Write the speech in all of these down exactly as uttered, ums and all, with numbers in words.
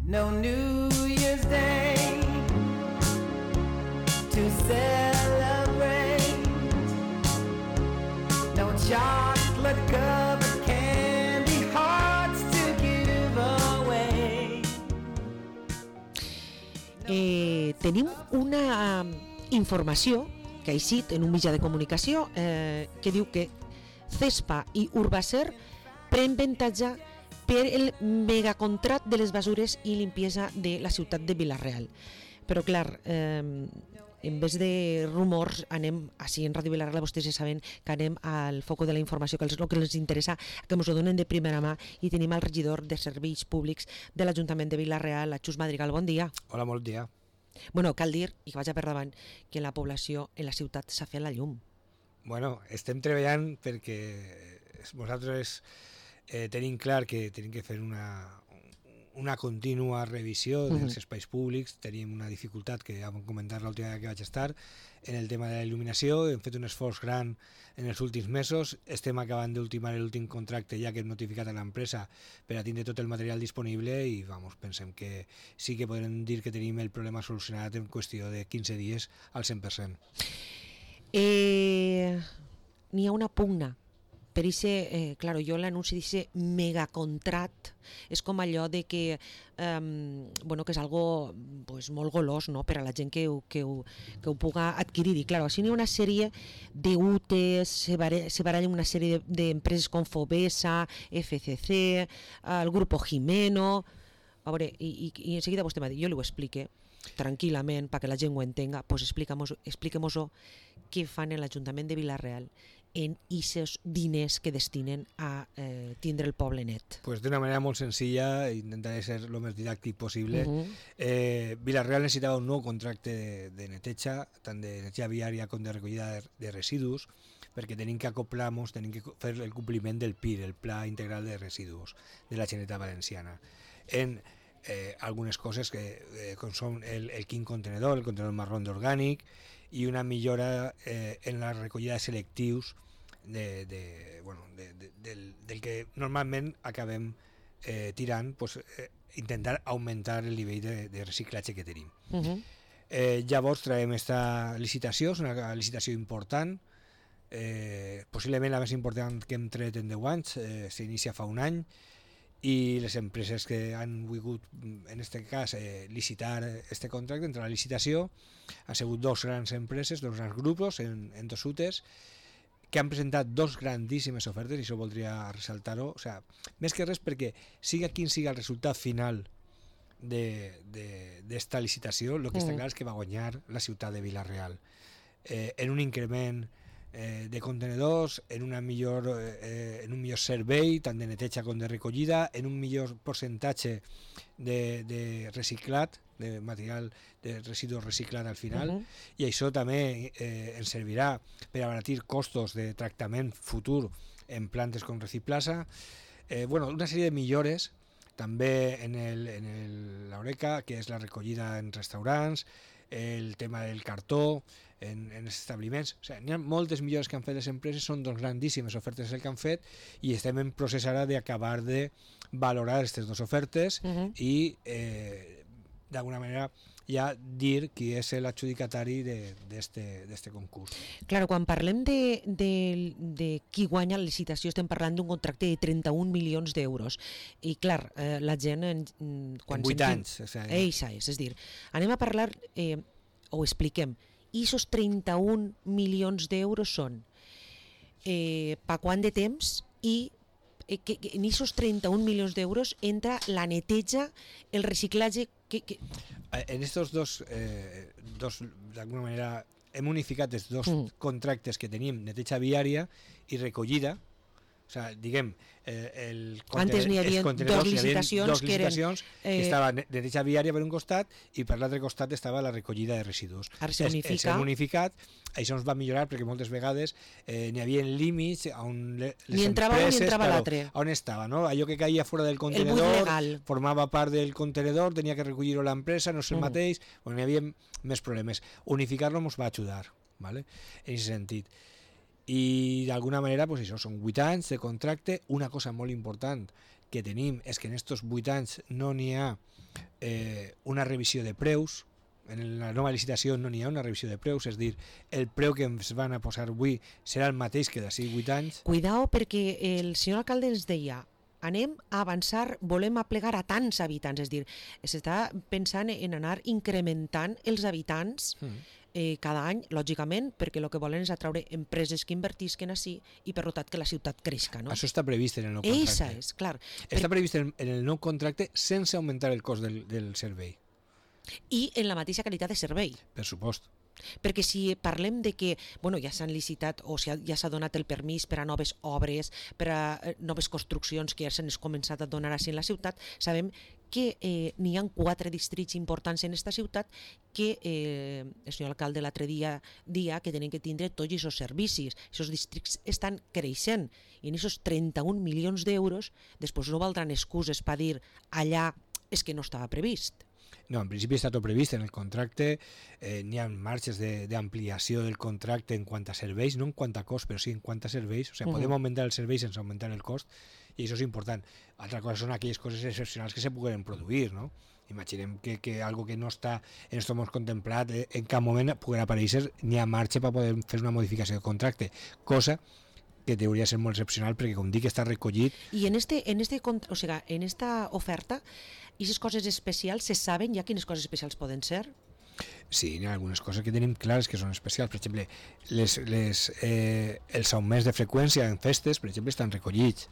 no New Year's Day to celebrate, no chocolate covered candy hearts to give away. Eh, tenim una informació que ha eixit en un mitjà de comunicació eh, que diu que Cespa i Urbacer pren avantatge per el megacontrat de les basures i limpiesa de la ciutat de Vila-real. Però clar, eh, en vez de rumors, anem, així en Ràdio Vila-real, vostès ja saben que anem al foco de la informació, que és el que els interessa, que ens ho donen de primera mà, i tenim el regidor de Serveis Públics de l'Ajuntament de Vila-real, Xus Madrigal. Bon dia. Hola, bon dia. Bueno, cal dir, i que vaig a per davant, que la població en la ciutat s'ha fet la llum. Bueno, estem treballant perquè nosaltres eh, tenim clar que tenim que fer una, una contínua revisió dels uh-huh. espais públics. Tenim una dificultat que ja vam comentar l'última vegada que vaig estar en el tema de la il·luminació. Hem fet un esforç gran en els últims mesos. Estem acabant d'ultimar l'últim contracte ja que hem notificat a l'empresa per a tindre tot el material disponible i vamos, pensem que sí que podem dir que tenim el problema solucionat en qüestió de quinze dies al cent per cent. Eh, n'hi ha una pugna per ese, eh, claro, jo l'anunci d'ese megacontrat és com allò de que eh, bueno, que és algo pues, molt golós, no?, per a la gent que ho, que ho, que ho puga adquirir. I claro, així n'hi ha una sèrie de U T Es, se, bare, se barallen una sèrie d'empreses com Fobesa, F C C, el Grupo Jimeno. A veure, i, i, i enseguida vostè m'ha dit, jo li ho explique tranquil·lament perquè la gent ho entenga, pues expliquem-ho què fan en l'Ajuntament de Vila-real en aquests diners que destinen a eh, tindre el poble net. Pues d'una manera molt senzilla, intentaré ser el més didàctic possible. Uh-huh. eh, Vila-real necessitava un nou contracte de, de neteja, tant de neteja viària com de recollida de, de residus, perquè tenim que acoplar-nos, tenim que fer el compliment del P I R, el Pla Integral de Residus de la Generalitat Valenciana. En Eh, algunes coses que eh, com són el, el quin contenedor, el contenedor marrón d'orgànic i una millora eh, en la recollida de selectius de, de, bueno, de, de, del, del que normalment acabem eh, tirant, pues, eh, intentar augmentar el nivell de, de reciclatge que tenim. Uh-huh. eh, llavors traiem esta licitació, és una licitació important, eh, possiblement la més important que hem tret en deu anys, eh, s'inicia fa un any, i les empreses que han volgut, en aquest cas, eh, licitar este contracte, entre la licitació, han sigut dos grans empreses, dos grans grups en, en dos U T Es, que han presentat dos grandíssimes ofertes, i això voldria ressaltar-ho, o sea, més que res perquè siga quin siga el resultat final d'esta licitació, el que està clar és que va guanyar la ciutat de Vila-real, eh, en un increment Eh, de contenedors, en, una millor, eh, en un millor servei tant de neteja com de recollida, en un millor percentatge de, de reciclat, de material de residus reciclat al final. Uh-huh. I això també eh, ens servirà per abaratir costos de tractament futur en plantes com Reciplasa. Eh, bueno, una sèrie de millores també en el, en el, l'Oreca, que és la recollida en restaurants, el tema del cartó en, en els establiments. O sigui, hi ha moltes millores que han fet les empreses, són doncs grandíssimes ofertes el que han fet, i estem en procés ara d'acabar de valorar aquestes dues ofertes uh-huh. i eh, d'alguna manera ja dir qui és l'adjudicatari d'este concurs. Claro, quan parlem de, de, de qui guanya la licitació estem parlant d'un contracte de trenta-un milions d'euros i clar, eh, la gent en, quan en vuit sentim, anys o sigui. Eixa és, és dir, anem a parlar eh, o expliquem, i esos trenta-un milions d'euros són eh, pa quant de temps i eh, que, que en esos trenta-un milions d'euros entra la neteja, el reciclatge. Que, que... En estos dos, eh, dos d'alguna manera hem unificat els dos mm. contractes que tenim, neteja viària i recollida. O sea, diguem, eh, el antes n'hi havia dos licitacions, dos que, eren, licitacions que eh, estava neteja viària per un costat i per l'altre costat estava la recollida de residus. Ara s'ha unificat. S'ha unificat, això ens va millorar perquè moltes vegades eh, n'hi havia límits on les ni entrava empreses, un ni entrava claro, l'altre. On estava, no? Allò que caia fora del contenedor formava part del contenedor, tenia que recollir-ho l'empresa, no és el mm. mateix, bueno, n'hi havia més problemes. Unificar-lo ens va ajudar, ¿vale? En aquest sentit. I d'alguna manera, pues això, són vuit anys de contracte. Una cosa molt important que tenim és que en aquests vuit anys no n'hi ha eh, una revisió de preus. En la nova licitació no n'hi ha una revisió de preus, és a dir, el preu que ens van a posar avui serà el mateix que d'ací vuit anys. Cuidao, perquè el senyor alcalde ens deia anem a avançar, volem aplegar a tants habitants, és a dir, s'està pensant en anar incrementant els habitants Mm. eh, cada any, lògicament, perquè el que volen és atraure empreses que invertisquen així i per tant que la ciutat creixca, no? Això està previst en el nou contracte. Eixa és, clar. Està previst en, en el nou contracte sense augmentar el cost del, del servei, I en la mateixa qualitat de servei. per supost. Perquè si parlem de que bueno, ja s'han licitat o si ja s'ha donat el permís per a noves obres, per a eh, noves construccions que ja s'han començat a donar així en la ciutat, sabem que eh, n'hi ha quatre distrits importants en aquesta ciutat que eh, el senyor alcalde l'altre dia dia que tenen que tindre tots aquests servicis. Aquests districts estan creixent i en aquests trenta-un milions d'euros després no valdran excuses per dir allà és que no estava previst. No, en principi està tot previst en el contracte, eh, n'hi ha marges d'ampliació de, del contracte en quant a serveis, no en quant a cost, però sí en quant a serveis. O sigui, uh -huh. podem augmentar el servei sense augmentar el cost, i això és important. Altra cosa són aquelles coses excepcionals que se puguen produir, no? Imaginem que, que algo que no està en aquest moment contemplat eh, en cap moment pugui aparèixer, n'hi ha marge per poder fer una modificació de contracte, cosa que hauria de ser molt excepcional perquè, com dic, està recollit. I en este, en este, o sigui, en esta oferta, aquestes coses especials, se saben ja quines coses especials poden ser? Sí, hi ha algunes coses que tenim clares que són especials. Per exemple, les, les, eh, els augments de freqüència en festes, per exemple, estan recollits.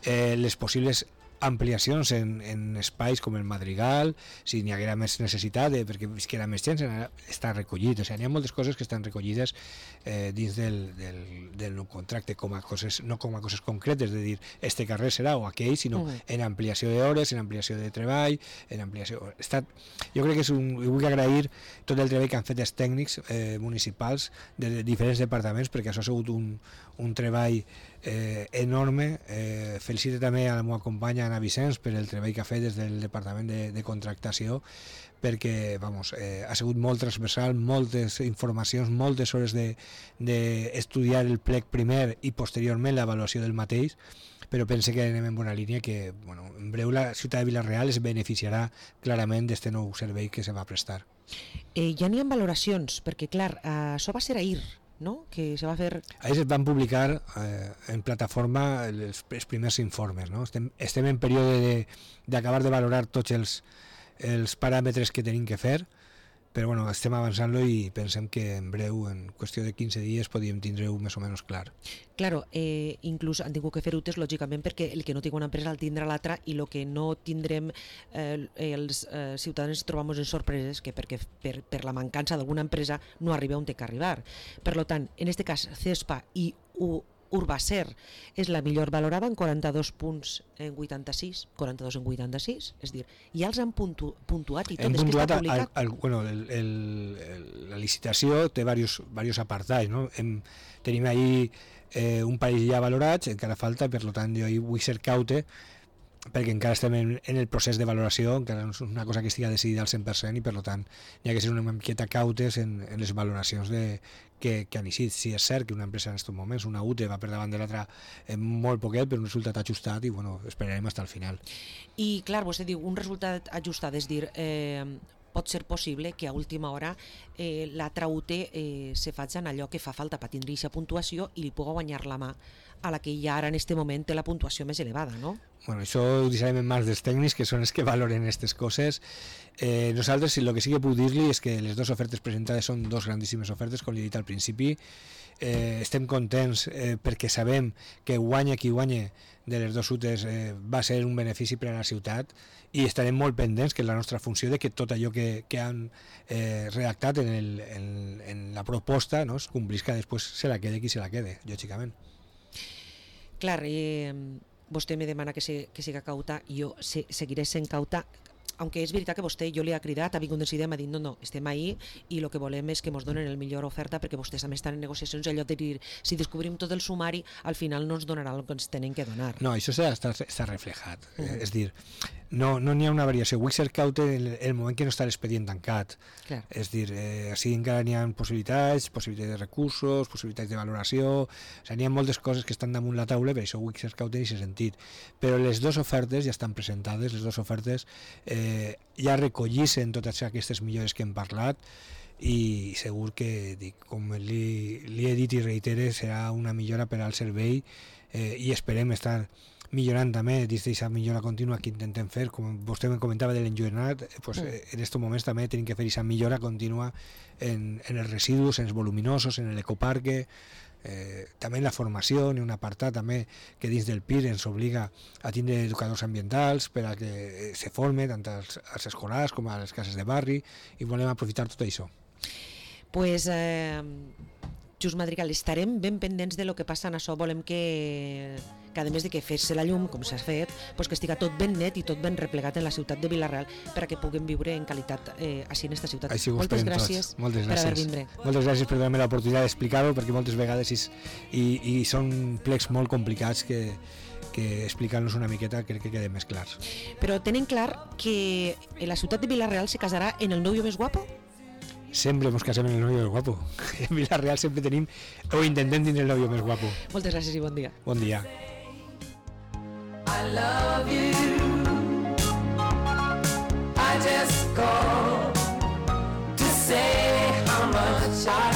Eh, les possibles ampliacions en, en espais com el Madrigal, si n'hi haguera més necessitat, eh, perquè visquera més gent, està recollit. O sigui, n'hi ha moltes coses que estan recollides eh, dins del, del, del nou contracte, com a coses, no com a coses concretes, de dir, este carrer serà o aquell, sinó uh-huh. en ampliació d'hores, en ampliació de treball, en ampliació... Està, jo crec que és un... Jo vull agrair tot el treball que han fet els tècnics eh, municipals de, de diferents departaments, perquè això ha sigut un, un treball eh, enorme. Eh, felicito també a la meva companya Ana Vicenç per el treball que ha fet des del departament de, de contractació, perquè vamos, eh, ha sigut molt transversal, moltes informacions, moltes hores d'estudiar de, de el plec primer i posteriorment l'avaluació del mateix, però pense que anem en bona línia, que bueno, en breu la ciutat de Vila-real es beneficiarà clarament d'aquest nou servei que se va prestar. Eh, ja n'hi ha valoracions, perquè clar, eh, això va ser ahir, no? Que se va fer... Ahir es van publicar eh, en plataforma els, els primers informes, no? Estem, estem en període d'acabar de, de valorar tots els, els paràmetres que tenim que fer, però bueno, estem avançant-lo i pensem que en breu, en qüestió de quinze dies, podríem tindre-ho més o menys clar. Claro, eh, inclús han tingut que fer utes, lògicament, perquè el que no tingui una empresa el tindrà l'altra, i el que no tindrem eh, els eh, ciutadans trobamos en sorpreses, que perquè per, per la mancança d'alguna empresa no arriba on té que arribar. Per tant, en aquest cas, CESPA i U Urbacer és la millor valorada en quaranta-dos punts en vuitanta-sis, quaranta-dos en vuitanta-sis, és dir, ja els han puntu, puntuat i tot, hem és que està publicat. El, el, bueno, el, el, el, la licitació té diversos, diversos apartats, no? Hem, tenim ahí eh, un parell ja valorats, encara falta, per tant jo vull ser caute, perquè encara estem en, en el procés de valoració, encara no és una cosa que estigui decidida al cent per cent, i per tant hi ha que ser una miqueta cautes en, en les valoracions de, que, que han eixit. Si és cert que una empresa en aquests moments, una U T E, va per davant de l'altra en molt poquet, però un resultat ajustat, i bueno, esperarem fins al final. I clar, vostè diu, un resultat ajustat, és dir, eh, pot ser possible que a última hora eh, l'altra U T E eh, se faci en allò que fa falta per tindre aquesta puntuació i li pugui guanyar la mà a la que ja ara en aquest moment té la puntuació més elevada, no? Bueno, això ho deixarem en mans dels tècnics, que són els que valoren aquestes coses. Eh, nosaltres, el que sí que puc dir-li és que les dues ofertes presentades són dues grandíssimes ofertes, com li he dit al principi. Eh, estem contents eh, perquè sabem que guanya qui guanya de les dues U T Es eh, va ser un benefici per a la ciutat, i estarem molt pendents, que és la nostra funció, de que tot allò que, que han eh, redactat en, el, en, en la proposta, no, es complisca, després se la quede qui se la quede, lògicament. Clar, eh, vostè me demana que, se, que siga cauta, i jo se, seguiré sent cauta, aunque és veritat que vostè, jo li ha cridat, ha vingut en idea, m'ha dit, no, no, estem ahí i el que volem és que ens donen el millor oferta, perquè vostès també estan en negociacions, allò de dir, si descobrim tot el sumari, al final no ens donarà el que ens tenen que donar. No, això està, està reflejat, uh -huh. És dir, no n'hi no ha una variació. Vull ser caute en el, el moment que no està l'expedient tancat. Clar. És dir, eh, així encara n'hi ha possibilitats, possibilitats de recursos, possibilitats de valoració, o sigui, n'hi ha moltes coses que estan damunt la taula, per això vull ser caute en aquest sentit. Però les dues ofertes ja estan presentades, les dues ofertes eh, eh, ja recollissen totes aquestes millores que hem parlat, i segur que, dic, com li, li he dit i reitere, serà una millora per al servei, eh, i esperem estar millorant també des d'aquesta millora contínua que intentem fer, com vostè me comentava de l'enlluernat, pues, mm. en aquests moments també tenim que fer aquesta millora contínua en, en els residus, en els voluminosos, en l'ecoparque, eh, també en la formació, en un apartat també que dins del P I R ens obliga a tindre educadors ambientals per a que se forme tant als, als escolars com a les cases de barri, i volem aprofitar tot això. Pues, eh, Just Madrigal, estarem ben pendents de lo que passa en això. Volem que, que a més de que fer-se la llum, com s'ha fet, pues que estiga tot ben net i tot ben replegat en la ciutat de Vila-real per a que puguem viure en qualitat eh, així en esta ciutat. Així moltes gràcies, moltes per gràcies haver vindre. Moltes gràcies per donar-me l'oportunitat d'explicar-ho, perquè moltes vegades és, i, i són plecs molt complicats que, que explicant-nos una miqueta crec que queden més clars. Però tenen clar que en la ciutat de Vila-real se casarà en el novio més guapo? Sempre ens casem en el novio més guapo. En Vila-real sempre tenim o intentem tenir el novio més guapo. Moltes gràcies i bon dia. Bon dia. I love you. I just called to say how much I